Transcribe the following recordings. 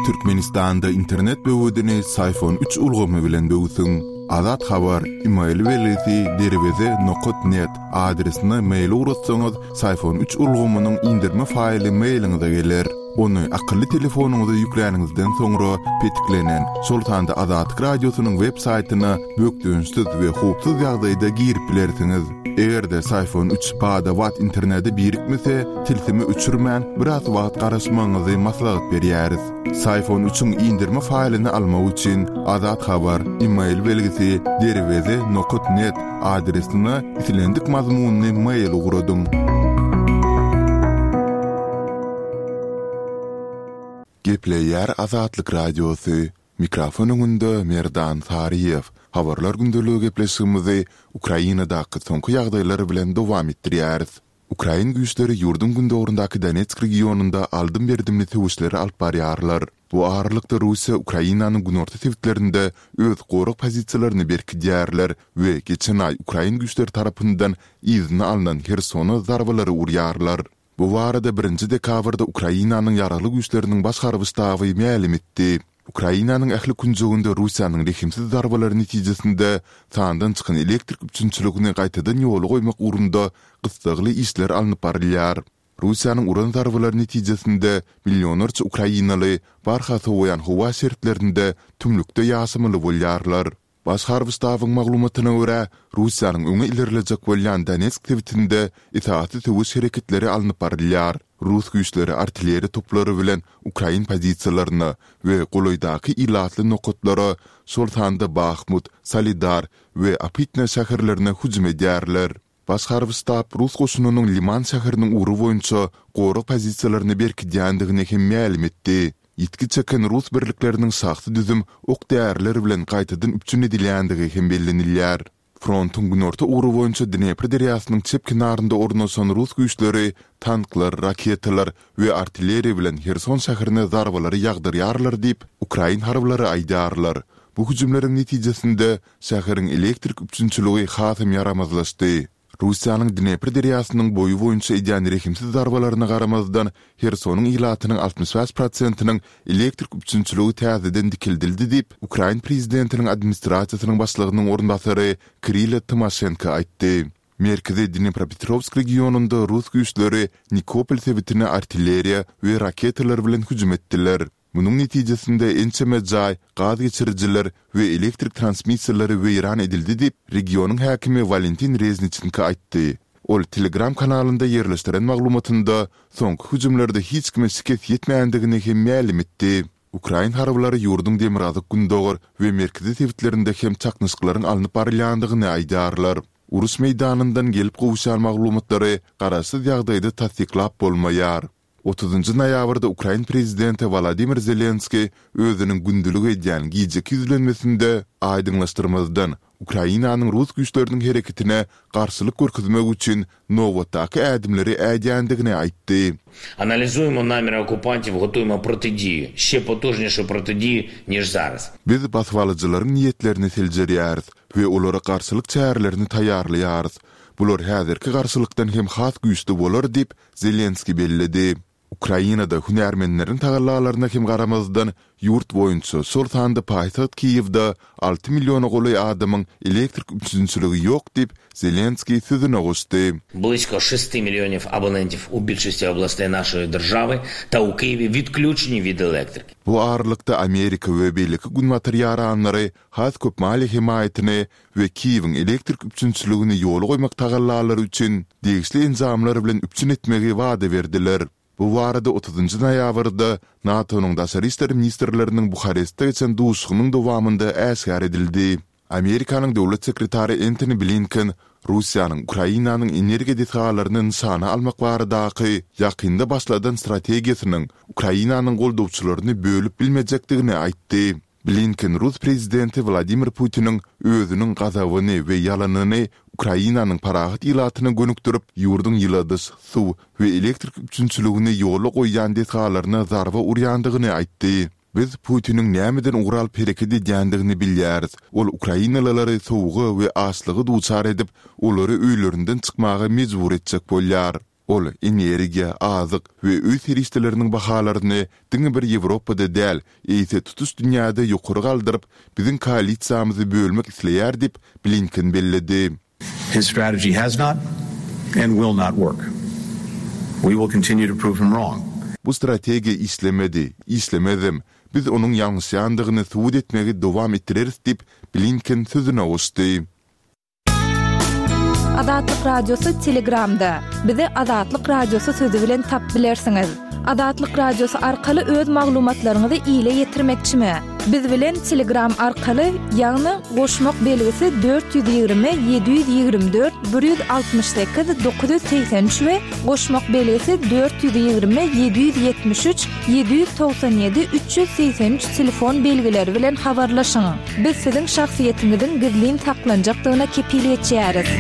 Türkmenistanda internet böwedini Syfon üç ulgamy bilen böwsüň. Azat Habar, email belgisi derweze nokat net adresine mail ugratsaňyz, Syfon üç ulgamynyň indirme faýly mailiňize geler. Ony akylly telefonyňyza ýükläniňizden soňra petiklenen, şol sanda Azatlyk Radiosynyň web saýtyna bökdençsiz we howpsuz ýagdaýda girip bilersiňiz. Eger-de Syfon üç bada-bat internete birikmese, tilsimi öçürmän, biraz wagt garaşmagyňyzy maslahat berýäris. Syfon üçiň indirme faýlyny almak üçin Azat Habar, email belgisi, derweze nokat net adresine islendik mazmunly mail ugradyň. Gepleýär Azatlyk Radiosy, Mikrofon öňünde Merdan Saryýew. Habarlar gündeligi gepleşigimizi Ukrainadaky soňky ýagdaýlar bilen dowam etdirýäris. Ukrain güýçleri ýurduň gündogaryndaky Donetsk regionynda aldym-berdimli söweşleri alyp barýarlar. Bu aralykda Russiýa Ukrainanyň günorta sebitlerinde öz gorag pozisiýalaryny berkidýärler we geçen aý ukrain güýçleri tarapyndan yzyna alnan Hersona zarbalary urýarlar. Bu barada birinji dekabrda Ukrainanyň Ýaragly Güýçleriniň Baş harby ştaby mälim etdi. Ukrainanyň ähli künjeginde Russiýanyň rehimsiz zarbalary netijesinde sandan çykan elektrik üpjünçiligini gaýtadan ýola goýmak ugrunda gyssagly işler alnyp barylýar. Russiýanyň uran zarbalary netijesinde millionlarça ukrainaly barha sowaýan howa şertlerinde tümlükde ýaşamaly bolýarlar. Baş harby ştabyň maglumatyna görä, Russiýanyň öňe ilerlejek bolýan Donetsk sebitinde esasy söweş hereketleri alnyp barylýar. Rus güýçleri artilleriýa toplary bilen ukrain pozisiýalaryna we golaýdaky ilatly nokatlara, şol sanda Bahmut, Solidar we Opytne şäherlerine hüjüm edýärler. Baş harby ştab rus goşunynyň Liman şäheriniň ugry boýunça gorag pozisiýalaryny berkidýändigini hem mälim etdi. Ýitgi çeken rus birlikleriniň şahsy düzüm ok-däriler bilen gaýtadan üpjün edilýändigi hem bellenilýär. Frontuň günorta ugry boýunça Dnepr derýasynyň çep kenarynda ornaşan rus güýçleri tanklar, raketalar we artilleriýa bilen Herson şäherine zarbalary ýagdyrýarlar diýip, ukrain harbylary aýdýarlar. Bu hüjümleriň netijesinde Şäheriň elektrik üpjünçiligi hasam ýaramazlaşdy. Russiýanyň Dnepr derýasynyň boýy boýunça edýän rehimsiz zarbalaryna garamazdan, Hersonyň ilatynyň 65 prosentiniň elektrik üpjünçiligi täzeden dikeldildi diýip, ukrain prezidentiniň administrasiýasynyň başlygynyň orunbasary Kirilo Tymoşenko aýtdy. Merkezi Dnepropetrowsk regionynda rus güýçleri Nikopol sebitine artilleriýa we raketalar bilen hüjüm etdiler. Munuň netijesinde ençeme jaý, gaz geçirijiler we elektrik transmissiýalary weýran edildi diýip, regionyň häkimi Walentin Rezniçenko aýtdy. Ol Telegram kanalynda ýerleşdiren maglumatynda soňky hüjümlerde hiç kime şikes ýetmändigini hem mälim etdi. Ukrain harbylary ýurduň demirgazyk-gündogar we merkezi sebitlerinde hem çaknyşyklaryň alnyp barylýandygyny aýdýarlar. Uruş meýdanyndan gelip gowuşýan maglumatlary garaşsyz ýagdaýda tassyklap bolmaýar. Otuzynjy noýabrda ukrain prezidenti Wolodymyr Zelenskiý özüniň gündelik edýän gijeki ýüzlenmesinde aýdyňlaşdyrmazdan, Ukrainanyň rus güýçleriniň hereketine garşylyk görkezmek üçin nobatdaky ädimleri ädýändigini aýtdy. Analizujemo namiri okupantiw, gotujemo protidiju, şçe potujnişu protidiju, niž zaraz. Biz basybalyjylaryň niýetlerini seljerýäris we olara garşylyk çärelerini taýýarlaýarys. Bular häzirki garşylykdan hem has güýçli bolar diýip, Zelenskiý belledi. Ukrainada hünärmenleriň tagallalaryna hem garamazdan, ýurt boýunça, şol sanda paýtagt Kiýewde alty milliona golaý adamyň elektrik üpjünçiligi ýok diýip, Zelenskiý sözüne goşdy. Blisko şesti millionew abonentiw u bilşosti oblastey naşoý držawy ta u Kiýewi witklýuçeni wid elektriki. Bu aralykda Amerika we beýleki günbatar ýaranlary has köp maliýe hemaýatyny we Kiýewiň elektrik üpjünçiligini ýola goýmak tagallalary üçin degişli enjamlar bilen üpjün etmegi wada berdiler. Bu barada otuzynjy noýabrda NATO-nyň daşary işler ministrleriniň Buharestde geçen duşuşygynyň dowamynda äşgär edildi. Amerikanyň döwlet sekretary Entoni Blinken Russiýanyň Ukrainanyň energiýa desgalaryny nyşana almak baradaky ýakynda başladan strategiýasynyň Ukrainanyň goldawçylaryny bölüp bilmejekdigini aýtdy. Blinken rus prezidenti Wladimir Putiniň özüniň gazabyny we ýalanyny Ukrainanyň parahat ilatyna gönükdirip, ýurduň ýyladyş, suw we elektrik üpjünçiligini ýola goýýan desgalaryna zarba urýandygyny aýtdy. Biz Putiniň nämeden ugur alyp hereket edýändigini bilýäris. Ol ukrainalylary sowuga we açlyga duçar edip, olary öýlerinden çykmaga mejbur etjek bolýar. Ol energiýa, azyk we öý serişdeleriniň bahalaryny diňe bir Ýewropada däl, eýse tutuş dünýäde ýokary galdyryp, biziň koalisiýamyzy bölmek isleýär diýip, Blinken belledi. His strategy has not and will not work. We will continue to prove him wrong. Bu strategiýa işlemedi, işlemezem. Biz onuň ýalňyşýandygyny subut etmegi dowam etdireris diýip, Blinken sözüne goşdy. Azatlyk Radiosy Telegramda. Bizi Azatlyk Radiosy sözi bilen tap bilersiňiz. Azatlyk Radiosy arkaly öz maglumatlaryňyzy ile ýetirmekçimi? Biz bilen Telegram arkaly, ýagny goşmak belgisi 420 724 168 983 we goşmak belgisi 420 773 797 383 telefon belgileri bilen habarlaşyň. Biz siziň şahsyýetiňiziň gizlin saklanjakdygyna kepil geçýäris.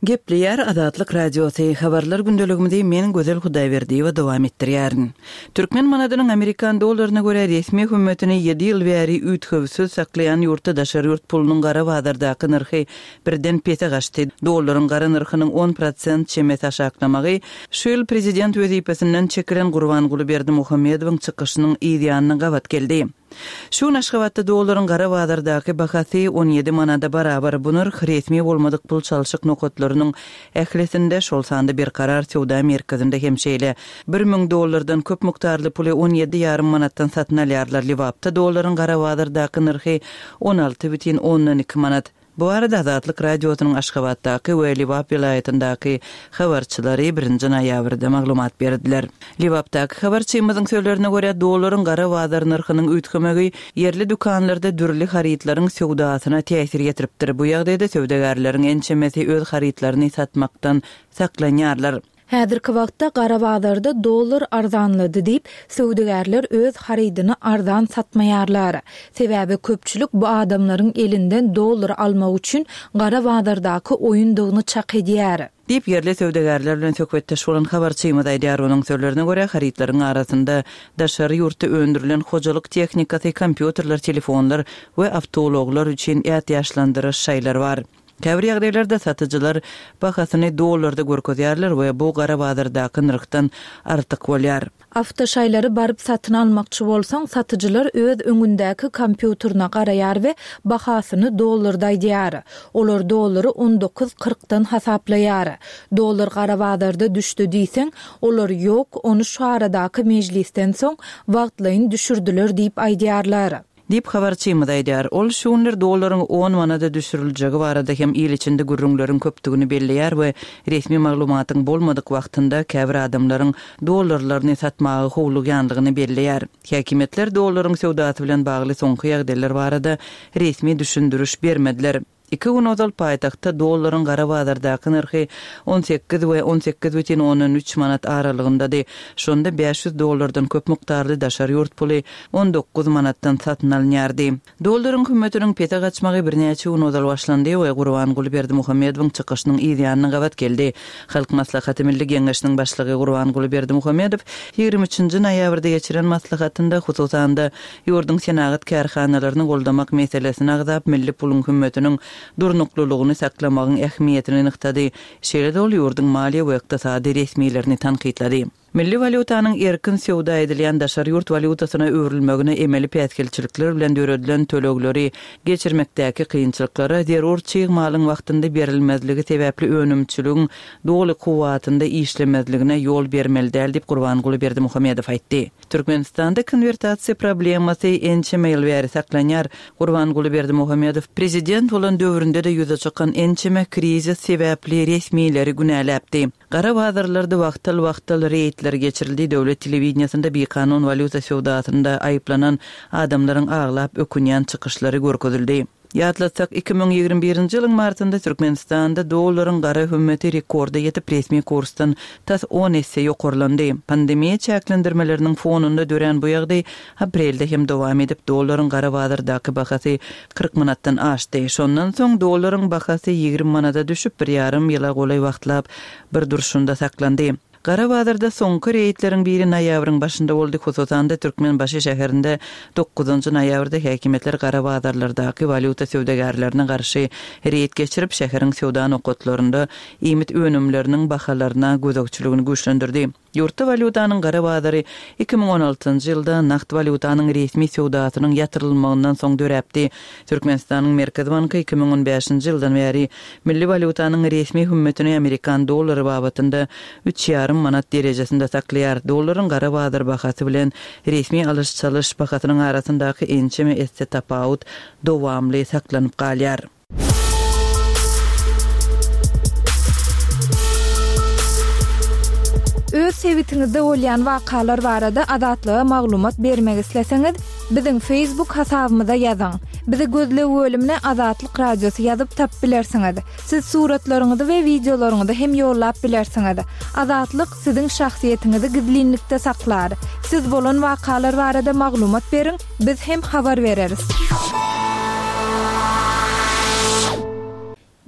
Gepleýär Azatlyk Radiosy, Habarlar gündeligimizi men Gözel Hudaýberdiýewa dowam etdirýärin. Türkmen manadynyň amerikan dollaryna görä resmi hümmetini ýedi ýyl bäri üýtgewsiz saklaýan ýurtda daşary ýurt pulunyň gara bazardaky nyrhy birden pese gaçdy. Dollaryň gara nyrhynyň on prosent çemesi aşaklamagy şu ýyl prezident wezipesinden çekilen Gurbanguly Berdimuhamedowyň çykyşynyň yz ýanyna gabat geldi. Şu gün Aşgabatda dollaryň gara bazardaky bahasy 17 manada barabar. Bu nyrh resmi bolmadyk pul çalşyk nokatlarynyň ählisinde, şol sanda Berkarar söwda merkezinde hem şeýle. 1000 dollardan köp mukdarly puly 17 ýarym manatdan satyn alýarlar. Lebapda dollaryň gara bazardaky nyrhy 16,2 manat. Bu barada Azatlyk Radiosynyň Aşgabatdaky we Lebap welaýatyndaky habarçylary birinji noýabrda maglumat berdiler. Lebapdaky habarçymyzyň sözlerine görä, dollaryň gara bazar nyrhynyň üýtgemegi ýerli dükanlarda dürli harytlaryň söwdasyna täsir ýetiripdir. Bu ýagdaýda söwdagärleriň ençemesi öz harytlaryny satmakdan saklanýarlar. Häzirki wagtda gara bazarda dollar arzanlady diýip, söwdagärler öz harydyny arzan satmaýarlar. Sebäbi köpçülik bu adamlaryň elinden dollar almak üçin gara bazardaky oýundygyny çak edýär. Diýip, ýerli söwdagärler bilen söhbetdeş bolan habarçymyz aýdýar. Onuň sözlerine görä, harytlaryň arasynda daşary ýurtda öndürilen hojalyk tehnikasy, kompýuterler, telefonlar we awtoulaglar üçin ätiýaçlandyryş şaýlary bar. Käbir ýagdaýlarda satyjylar bahasyny dollarda görkezýärler we bu gara bazardaky nyrhdan artyk bolýar. Awtoşaýlary baryp satyn almakçy bolsaň, satyjylar öz öňündäki kompýuterine garaýar we bahasyny dollarda aýdýar. Olar dollary on dokuz kyrkdan hasaplaýar. Dollar gara bazarda düşdi diýseň, olar ýok, ony şu aradaky mejlisden soň wagtlaýyn düşürdiler diýip aýdýarlar. Diýip, habarçymyz aýdýar. Ol şu günler dollaryň on manada düşüriljegi barada hem il içinde gürrüňleriň köpdügini belleýär we resmi maglumatyň bolmadyk wagtynda käbir adamlaryň dollarlaryny satmaga howlugýandygyny belleýär. Häkimiýetler dollaryň söwdasy bilen bagly soňky ýagdaýlar barada resmi düşündiriş bermediler. Iki gün ozal paýtagtda dollaryň gara bazardaky nyrhy 18 we 18,3 manat aralygyndady. Şonda 500 dollardan köp mukdarly daşary ýurt puly 19 manatdan satyn alynýardy. Dollaryň hümmetiniň pese gaçmagy birnäçe gün ozal başlandy we Gurbanguly Berdimuhamedowyň çykyşynyň yz ýanyna gabat geldi. Halk Maslahaty Milli Geňeşiniň Başlygy Gurbanguly Berdimuhamedow ýigrimi üçünji noýabrda geçiren maslahatynda, hususan-da, ýurduň senagat kärhanalaryny goldamak meselesini agzap, milli puluň hümmetiniň durnuklylygyny saklamagyň ähmiýetini nygtady. Şeýle-de ol ýurduň maliýe we ykdysady resmilerini tankytlady. Milli walýutanyň erkin söwda edilýän daşary ýurt walýutasyna öwrülmegine emeli päsgelçilikler bilen döredilen tölegleri geçirmekdäki kynçylyklara zerur çig malyň wagtynda berilmezligi sebäpli önümçiligiň doly kuwwatynda işlemezligine ýol bermeli däl diýip Gurbanguly Berdimuhamedow aýtdy. Türkmenistanda konwertasiýa problemasy ençeme ýyl bäri saklanýar. Gurbanguly Berdimuhamedow prezident bolan döwründe-de ýüze çykan ençeme krizis sebäpli resmileri günäläpdi. Gara bazarlarda wagtal-wagtal reýdler geçirildi, döwlet telewideniýesinde bikanun walýuta söwdasynda aýyplanan adamlaryň aglap ökünýän çykyşlary görkezildi. Ýatlatsak, 2021-nji ýylyň martynda Türkmenistanda dollaryň gara hümmeti rekorda ýetip, resmi kursdan tas on esse ýokarlandy. Pandemiýa çäklendirmeleriniň fonunda dörän bu ýagdaý aprelde hem dowam edip, dollaryň gara bazardaky bahasy 40 manatdan aşdy. Şondan soň dollaryň bahasy 20 manada düşüp, bir ýarym ýyla golaý wagtlap bir durşunda saklandy. Gara bazarda soňky reýdleriň biri noýabryň başynda boldy, hususan-da, Türkmenbaşy şäherinde dokuzynjy noýabrda häkimiýetler gara bazarlardaky walýuta söwdagärlerine garşy reýd geçirip, şäheriň söwda nokatlarynda iýmit önümleriniň bahalaryna gözegçiligini güýçlendirdi. Ýurtda walýutanyň gara bazary 2016-njy ýylda nagt walýutanyň resmi söwdasynyň ýatyrylmagyndan soň döräpdi. Türkmenistanyň Merkezi banky 2015-nji ýyldan bäri milli walýutanyň resmi hümmetini amerikan dollary babatynda üç ýarym manat derejesinde saklaýar. Dollaryň gara bazar bahasy bilen resmi alyş-çalyş bahasynyň arasyndaky ençeme esse tapawut dowamly saklanyp galýar. Öz sebitiňizde bolýan wakalar barada Azatlyga maglumat bermek isleseňiz, biziň Facebook hasabymyza ýazyň. Bizi gözleg bölümine Azatlyk Radiosy ýazyp tapyp bilersiňiz. Siz suratlaryňyzy we wideolaryňyzy hem ýollap bilersiňiz. Azatlyk siziň şahsyýetiňizi gizlinlikde saklar. Siz bolan wakalar barada maglumat beriň, Biz hem habar bereris.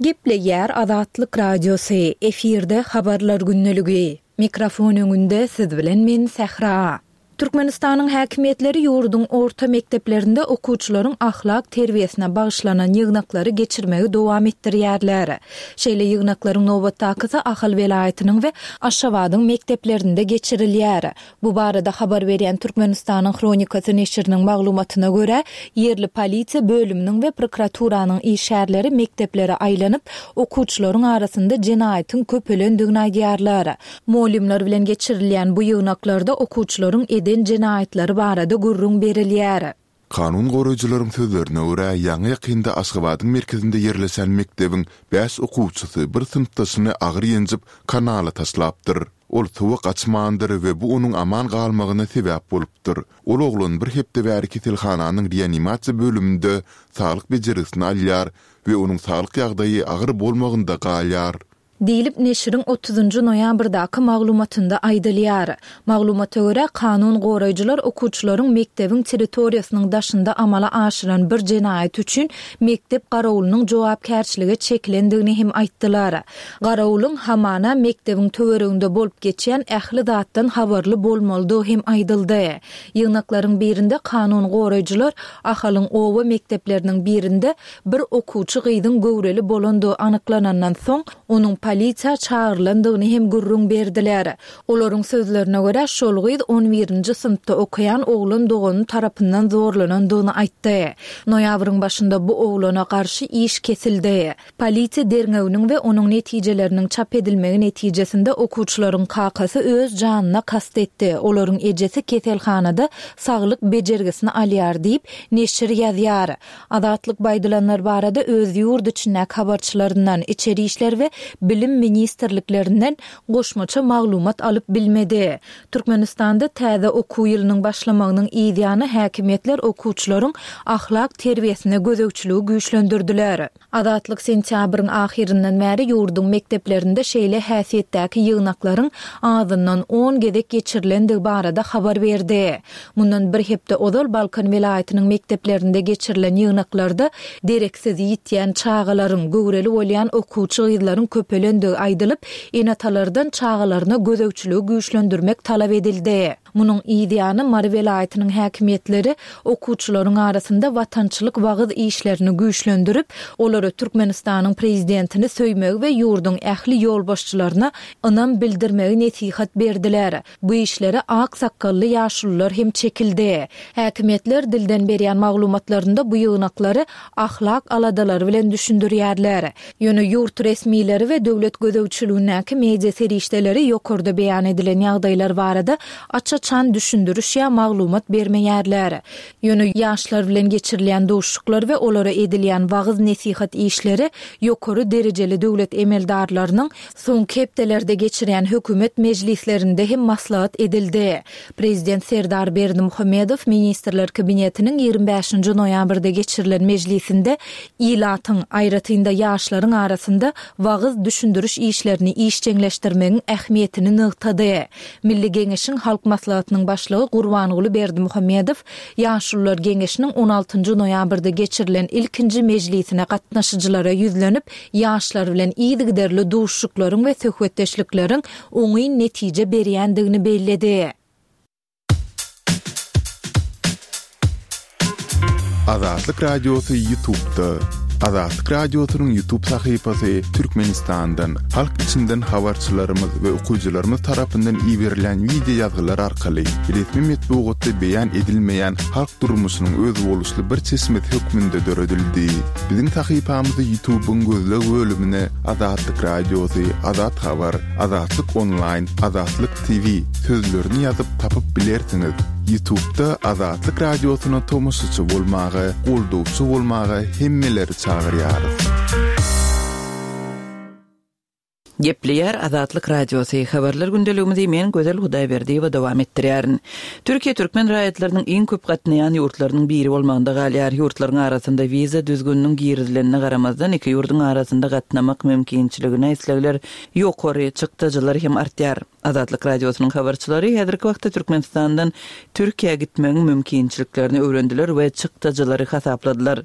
Gepleýär Azatlyk Radiosy, efirde Habarlar gündeligi. Mikrofon öňünde siz bilen men Sähra. Türkmenistanyň häkimiýetleri ýurduň orta mekdeplerinde okuwçylaryň ahlak terbiýesine bagyşlanan ýygnaklary geçirmegi dowam etdirýärler. Şeýle ýygnaklaryň nobatdakysy Ahal welaýatynyň we Aşgabadyň mekdeplerinde geçirilýär. Bu barada habar berýän Türkmenistanyň Hronikasy neşiriniň maglumatyna görä, ýerli polisiýa bölüminiň we prokuraturanyň işgärleri mekdeplere aýlanyp, okuwçylaryň arasynda jenaýatyň köpelendigini aýdýarlar. Mugallymlar bilen geçirilýän bu ýygnaklarda okuwçylaryň eden jenaýatlary barada gürrüň berilýär. Kanun goraýjylaryň sözlerine görä, ýaňy-ýakynda Aşgabadyň merkezinde ýerleşen mekdebiň bäş okuwçysy bir synpdaşyny agyr ýenjip, kanala taşlapdyr. Ol suwa gaçmandyr we bu onuň aman galmagyna sebäp bolupdyr. Ol oglan bir hepde bäri keselhananyň reanimasiýa bölüminde saglyk bejergisini alýar we onuň saglyk ýagdaýy agyr bolmagynda galýar. Diýlip, neşiriň otuzynjy noýabrdaky maglumatynda aýdylýar. Maglumata görä, kanun goraýjylar okuwçylaryň mekdebiň territoriýasynyň daşynda amala aşyran bir jenaýaty üçin mekdep garawulynyň jogapkärçilige çekilendigini hem aýtdylar. Garawulyň, hamana, mekdebiň töwereginde bolup geçýän ähli zatdan habarly bolmalydygy hem aýdyldy. Ýygnaklaryň birinde kanun goraýjylar Ahalyň oba mekdepleriniň birinde Bir okuwçy gyzyň göwreli bolandygy anyklanandan soň, onuň polisiýa çagyrylandygyny hem gürrüň berdiler. Olaryň sözlerine görä, şol gyz on birinji synpda okaýan oglan dogany tarapyndan zorlanandygyny aýtdy. Noýabryň başynda bu oglana garşy iş kesildi. Polisiýa derňewiniň we onuň netijeleriniň çap edilmegi netijesinde okuwçylaryň kakasy öz janyna kast etdi, olaryň ejesi keselhanada saglyk bejergisini alýar diýip, neşir ýazýar. Azatlyk bu aýdylanlar barada öz ýurt içindäki habarçylaryndan, Içeri işler we Bilim ministrliklerinden goşmaça maglumat alyp bilmedi. Türkmenistanda täze okuw ýylynyň başlamagynyň yz ýany häkimiýetler okuwçylaryň ahlak terbiýesine gözegçiligi güýçlendirdiler. Azatlyk sentýabryň ahyryndan bäri ýurduň mekdeplerinde şeýle häsiýetdäki ýygnaklaryň azyndan on gezek geçirilendigi barada habar berdi. Mundan bir hepde ozal Balkan welaýatynyň mekdeplerinde geçirilen ýygnaklarda dereksiz ýitýän çagalaryň, göwreli bolýan okuwçy gyzlaryň köpelendigi aýdylyp, ene-atalardan çagalaryna gözegçiligi güýçlendirmek talap edildi. Munuň yz ýany, Mary welaýatynyň häkimiýetleri okuwçylaryň arasynda watançylyk wagyz işlerini güýçlendirip, olara Türkmenistanyň prezidentini söýmegi we ýurduň ähli ýolbaşçylaryna ynam bildirmegi nesihat berdiler. Bu işlere ak sakgally ýaşulular hem çekildi. Häkimiýetler dilden berýän maglumatlarynda bu ýygnaklary ahlak aladalary bilen düşündirýärler. Ýöne ýurt resmileri we döwlet gözegçiligindäki media serişdeleri ýokarda beýan edilen ýagdaýlar barada aç-açan düşündiriş ýa maglumat bermeýärler. Ýöne ýaşlar bilen geçirilýän duşuşyklar we olara edilýän wagyz-nesihat işleri ýokary derejeli döwlet emeldarlarynyň Soňky hepdelerde geçirýän hökümet mejlislerinde hem maslahat edildi. Prezident Serdar Berdimuhamedow Ministrler Kabinetiniň 25-nji noýabrda geçirilen mejlisinde ilatyň, aýratyn-da ýaşlaryň arasynda wagyz-düşündiriş işlerini işjeňleşdirmegiň ähmiýetini nygtady. Milli Geňeşiň Halk Maslahatynyň. Maslahatynyň Başlygy Gurbanguly Berdimuhamedow Ýaşulular geňeşiniň on altynjy noýabrda geçirilen ilkinji mejlisine gatnaşyjylara ýüzlenip, ýaşlar bilen yzygiderli duşuşyklaryň we söhbetdeşlikleriň oňyn netije berýändigini belledi. Azatlyk Radiosy Ýutubda. Azatlyk Radiosynyň Ýutub sahypasy Türkmenistandan, halk içinden habarçylarymyz we okyjylarymyz tarapyndan iberilen wideo ýazgylar arkaly resmi metbugatda beýan edilmeýän halk durmuşynyň özboluşly bir çeşmesi hökmünde döredildi. Biziň sahypamyzy Ýutubyň gözleg bölümine Azatlyk Radiosy, Azat Habar, Azatlyk Onlaýn, Azatlyk TV sözlerini ýazyp tapyp bilersiňiz. Ýutubda Azatlyk Radiosyna tomaşaçy bolmaga, goldawçy bolmaga hemmeleri çagyrýarys. Gepleýär Azatlyk Radiosy, Habarlar gündeligimizi men Gözel Hudaýberdiýewa dowam etdirýärin. Türkiýe türkmen raýatlarynyň iň köp gatnaýan ýurtlarynyň biri bolmagynda galýar. Ýurtlaryň arasynda wiza düzgüniniň girizilenine garamazdan, iki ýurduň arasynda gatnamak mümkinçiligine islegler ýokary, çykdajylar hem artýar. Azatlyk Radiosynyň habarçylary häzirki wagtda Türkmenistandan Türkiýä gitmegiň mümkinçiliklerini öwrendiler we çykdajylary hasapladylar.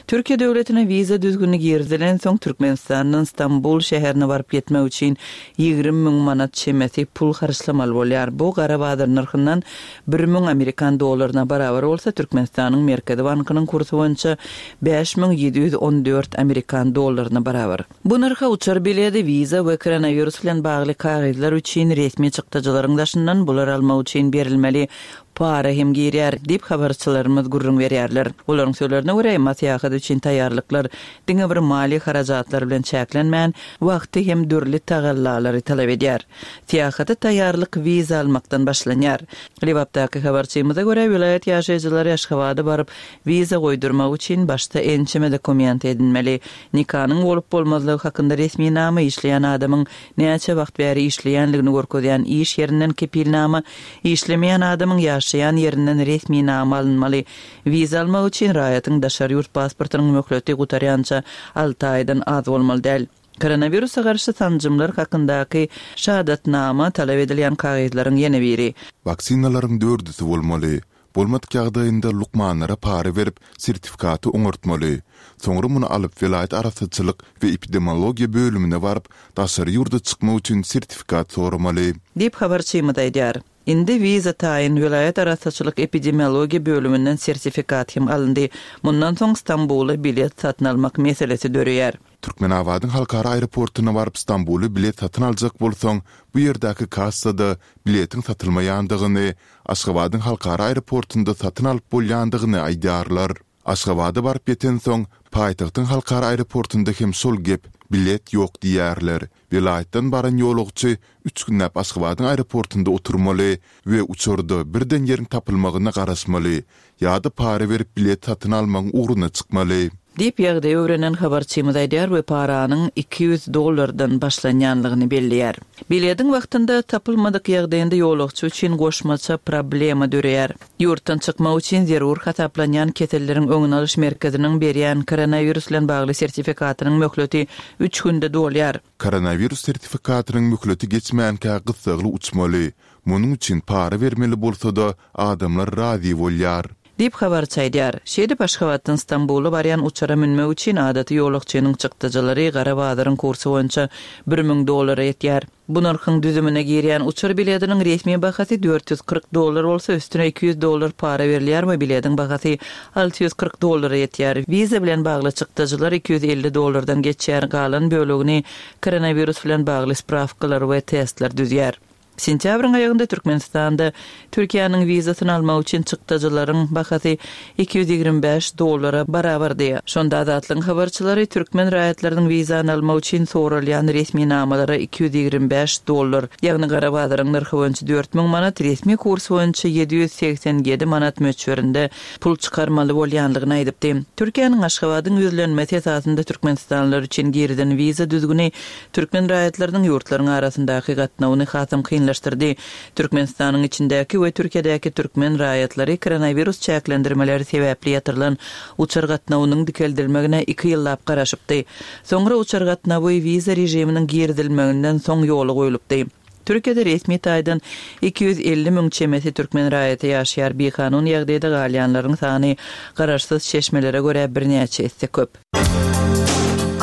Türkiýe döwletine wiza düzgüni girizilensoň, Türkmenistandan Stambul şäherine baryp ýetmek üçin 20 müň manat çemesi pul harçlamaly bolýar. Bu gara bazar nyrhyndan 1000 amerikan dollaryna barabar bolsa, Türkmenistanyň Merkezi bankynyň kursy boýunça 5714 amerikan dollaryna barabar. Bu nyrha uçar biledi, wiza we koronawirus bilen bagly kagyzlar üçin resmi çykdajylaryň daşyndan bulary almak üçin berilmeli para hem girýär, diýip, habarçylarymyz gürrüň berýärler. Olaryň sözlerine görä, emma syýahat üçin taýýarlyklar diňe bir maliýe harajatlary bilen çäklenmän, wagty hem dürli tagallalary talap edýär. Syýahata taýýarlyk wiza almakdan başlanýar. Lebapdaky habarçymyza görä, welaýat ýaşaýjylary Aşgabada baryp, wiza goýdurmak üçin başda ençeme dokument edinmeli. Nikanyň bolup-bolmazlygy hakynda resminama, işleýän adamyň näçe wagt bäri işleýänligini görkezýän iş ýerinden kepilnama, işlemeýän adamyň ýaşaýan ýerinden resminama alynmaly. Wiza almak üçin raýatyň daşary ýurt pasportynyň möhleti gutarýança alty aýdan az bolmaly däl. Koronawirusa garşy sanjymlar hakyndaky şahadatnama talap edilýän kagyzlaryň ýene biri. Waksinalaryň dördüsi bolmaly. Bolmadyk ýagdaýynda lukmanlara para berip, sertifikaty oňartmaly. Soňra muny alyp welaýat arassaçylyk we epidemiologiýa bölümine baryp, daşary ýurda çykmak üçin sertifikat soramaly. Diýip, habarçymyz aýdýar. Indi wiza taýyn, welaýat arassaçylyk epidemiologiýa bölüminden sertifikat hem alyndy. Mundan soň Stambula bilet satyn almak meselesi döreýär. Türkmenabadyň halkara aeroportuna baryp Stambula bilet satyn aljak bolsaň, bu ýerdäki kassada biletiň satylmaýandygyny, Aşgabadyň halkara aeroportunda satyn alyp bolýandygyny aýdýarlar. Aşgabada baryp ýetensoň, paýtagtyň halkara aeroportunda hem şol gep, bilet ýok diýýärler. Welaýatdan baran ýolagçy üç günläp Aşgabadyň aeroportunda oturmaly we uçarda birden ýeriň tapylmagyna garaşmaly ýa-da para berip bilet satyn almagyň ugruna çykmaly. Diýip, ýagdaýy öwrenen habarçymyz aýdýar we paranyň 200 dollardan başlanýanlygyny belleýär. Bilediň wagtynda tapylmadyk ýagdaýynda ýolagçy üçin goşmaça problema döreýär. Ýurtdan çykmak üçin zerur hasaplanýan keselleriň öňüni alyş merkeziniň berýän koronawirus bilen bagly sertifikatynyň möhleti üç günde dolýar. Koronawirus sertifikatynyň möhleti geçmänkä gyssagly uçmaly. Munuň üçin para bermeli bolsa-da, adamlar razy bolýar. Diýip, habarçy aýdýar. Şeýdip, Aşgabatdan Stambula barýan uçara münmek üçin adaty ýolagçynyň çykdajylary gara bazaryň kursy boýunça 1000 dollara ýetýär. Bu nyrhyň düzümine girýän uçar bilediniň resmi bahasy 440 dollar bolsa, üstüne 200 dollar para berilýär we bilediň bahasy 640 dollara ýetýär. Wiza bilen bagly çykdajylar 250 dollardan geçýär, galan bölegini koronawirus bilen bagly sprawkalar we testler düzýär. Sentýabryň aýagynda Türkmenistanda Türkiýäniň wizasyny almak üçin çykdajylaryň bahasy 225 dollara barabardy. Şonda Azatlygyň habarçylary türkmen raýatlarynyň wizany almak üçin soralýan resminamalara 225 dollar, ýagny gara bazaryň nyrhy boýunça 4000 manat, resmi kurs boýunça 787 manat möçberinde pul çykarmaly bolýandygyny aýdypdy. Türkiýäniň Aşgabadyň ýüzlenmesi esasynda türkmenistanlylar üçin girizen wiza düzgüni türkmen raýatlarynyň ýurtlaryň arasyndaky gatnawyny hasam kynlaşdyrdy. Türkmenistanyň içindäki we Türkiýedäki türkmen raýatlary koronawirus çäklendirmeleri sebäpli ýatyrylan uçar gatnawynyň dikeldilmegine iki ýyllap garaşypdy. Soňra uçar gatnawy wiza režiminiň girizilmeginden soň ýola goýlupdy. Türkiýede resmi taýdan 250 müň çemesi türkmen raýaty ýaşaýar, bikanun ýagdaýda galýanlaryň sany garaşsyz çeşmelere görä birnäçe esse köp.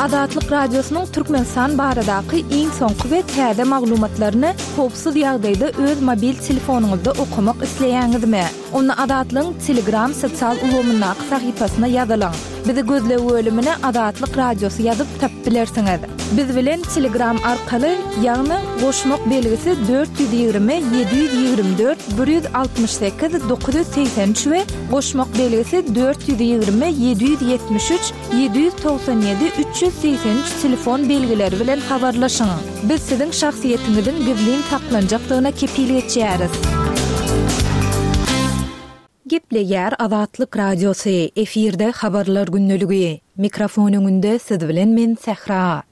Azatlyk Radiosynyň Türkmenistan baradaky iň soňky we täze maglumatlaryny howpsuz ýagdaýda öz mobil telefonyňyzda okamak isleýäňizmi? Onda Azatlygyň Telegram sosial ulgamyndaky sahypasyna ýazylyň. Bizi gözleg bölümine Azatlyk Radiosy ýazyp tapyp bilersiňiz. Biz bilen Telegram arkaly, ýagny goşmak belgisi 420 724 168 983 we goşmak belgisi 420 773 797 383 telefon belgileri bilen habarlaşyň. Biz siziň şahsyýetiňiziň gizlin saklanjakdygyna kepil geçýäris. Gepleýär Azatlyk Radiosy, efirde Habarlar gündeligi. Mikrofon öňünde siz bilen men Sähra.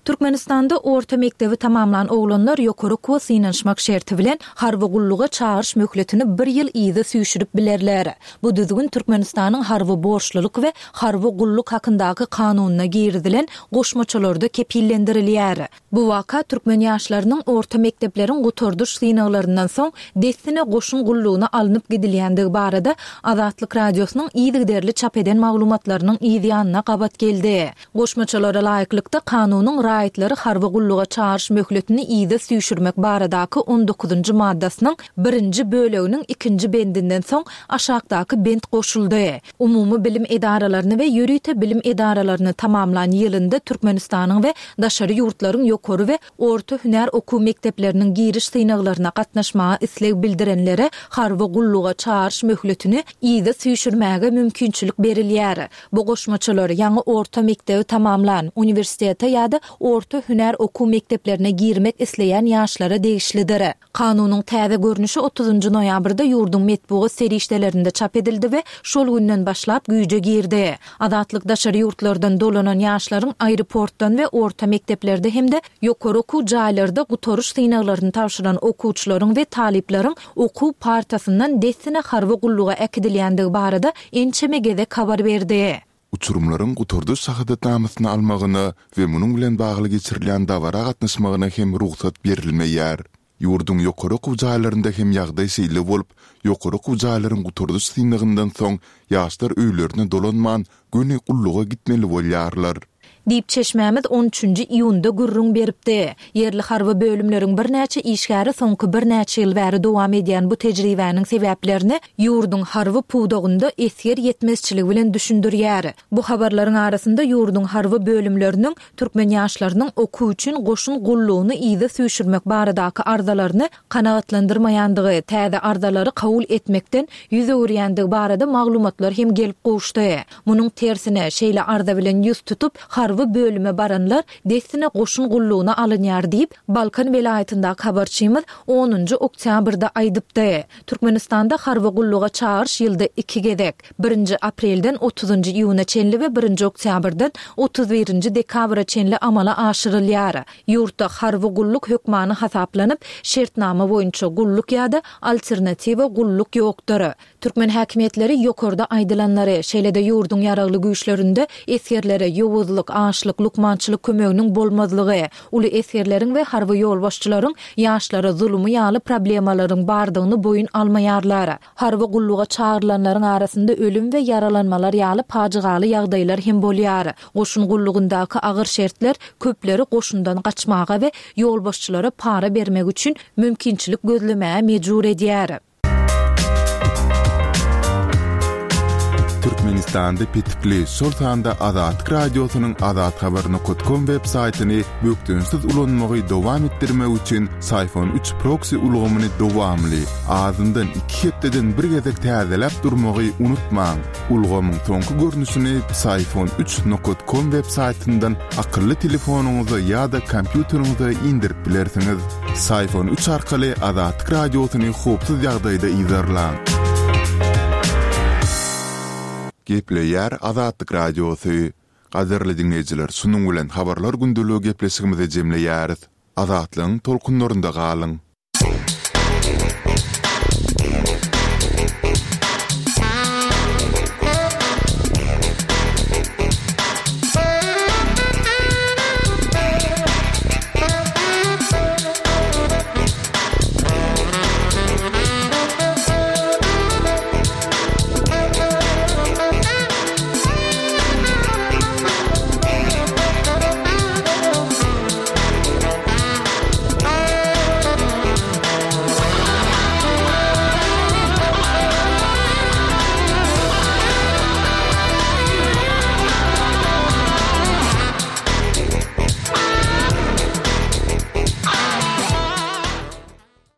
Türkmenistanda orta mekdebi tamamlan oglanlar ýokary okuwa synanyşmak şerti bilen harby gulluga çagyryş möhletini bir ýyl yza süýşürip bilerler. Bu düzgün Türkmenistanyň Harby borçlulyk we harby gulluk hakyndaky kanunyna girizilen goşmaçalarda kepillendirilýär. Bu waka türkmen ýaşlarynyň orta mekdepleriň gutardyş synaglaryndan soň dessine goşun gullugyna alnyp gidilýändigi barada Azatlyk Radiosynyň yzygiderli çap eden maglumatlarynyň yz ýanyna gabat geldi. Goşmaçalara laýyklykda, kanunyň raýatlary harby gulluga çagyryş möhletini yza süýşürmek baradaky on dokuzynjy maddasynyň birinji böleginiň ikinji bendinden soň aşakdaky bent goşuldy, Umumy bilim edaralaryny we ýörite bilim edaralaryny tamamlan ýylynda Türkmenistanyň we daşary ýurtlaryň ýokary we orta hünär okuw mekdepleriniň giriş synaglaryna gatnaşmaga isleg bildirenlere harby gulluga çagyryş möhletini yza süýşürmäge mümkinçilik berilýär. Bu goşmaçalar, ýaňy orta mekdebi tamamlan, uniwersitete ýa-da orta hünär okuw mekdeplerine girmek isleýän ýaşlara degişlidir. Kanunyň täze görnüşi otuzynjy noýabrda ýurduň metbugat serişdelerinde çap edildi we şol günden başlap güýje girdi. Azatlyk daşary ýurtlardan dolanan ýaşlaryň aeroportdan we orta mekdeplerde hem-de ýokary okuw jaýlarda gutaryş synaglaryny tabşyran okuwçylaryň we talyplaryň okuw partasyndan dessine harby gulluga äkidilýändigi barada ençeme gezek habar berdi. Uçurymlaryň gutardyş şahadatnamasyny almagyna we munuň bilen bagly geçirilýän dabara gatnaşmagyna hem rugsat berilmeýär. Ýurduň ýokary okuw jaýlarynda hem ýagdaý şeýle bolup, ýokary okuw jaýlaryň gutardyş synagyndan soň ýaşlar öýlerine dolanman, göni gulluga gitmeli bolýarlar. Diýip, çeşmämiz on üçünji iýunda gürrüň beripdi. Ýerli harby bölümleriň birnäçe işgäri soňky birnäçe ýyl bäri dowam edýän bu tejribäniň sebäplerini ýurduň harby pudagynda esger ýetmezçiligi bilen düşündirýär. Bu habarlaryň arasynda ýurduň harby bölümleriniň türkmen ýaşlarynyň okuw üçin goşun gullugyny yza süýşürmek baradaky arzalaryny kanagatlandyrmaýandygy, täze arzalary kabul etmekden ýüz öwürýändigi barada maglumatlar hem gelip gowuşdy. Munuň tersine, şeýle arza bilen ýüz tutup, harby bölüme baranlar dessine goşun gullugyna alynýar diýip, Balkan welaýatyndaky habarçymyz onunjy oktýabrda aýdypdy. Türkmenistanda harby gulluga çagyryş ýylda iki gezek, birinji aprelden otuzynjy iýuna çenli we birinji oktýabrdan 31 nji dekabra çenli amala aşyrylýar. Ýurtda harby gulluk hökmany hasaplanyp, şertnama boýunça gulluk ýa-da alternatiwa gulluk ýokdur. Türkmen häkimiýetleri ýokarda aýdylanlary, şeýle-de ýurduň ýaragly güýçlerinde esgerlere ýowuzlyk, açlyk, lukmançylyk kömeginiň bolmazlygy, uly esgerleriň we harby ýolbaşçylaryň ýaşlara zulumy ýaly problemalaryň bardygyny boýun almaýarlar. Harby gulluga çagyrylanlaryň arasynda ölüm we ýaralanmalar ýaly pajygaly ýagdaýlar hem bolýar. Goşun gullugyndaky agyr şertler köpleri goşundan gaçmaga we ýolbaşçylara para bermek üçin mümkinçilik gözlemäge mejbur edýär. Türkmenistanda petikli, şol sanda Azatlyk Radiosynyň azathabar.com web saýtyny bökdençsiz ulanmagy dowam etdirmek üçin Syfon 3 proksi ulgamyny dowamly, azyndan iki hepdeden bir gezek täzeläp durmagy unutmaň. Ulgamyň soňky görnüşini Psiphon 3 nokat com web saýtyndan akylly telefonyňyza ýa-da kompýuteriňize indirip bilersiňiz. Psiphon 3 arkaly Azatlyk Radiosyny howpsuz ýagdaýda yzarlaň. Gepleýär Azatlyk Radiosy. Gadyrly diňleýjiler, şunuň bilen Habarlar gündeligi gepleşigimizi jemleýäris. Azatlygyň tolkunlarynda galyň!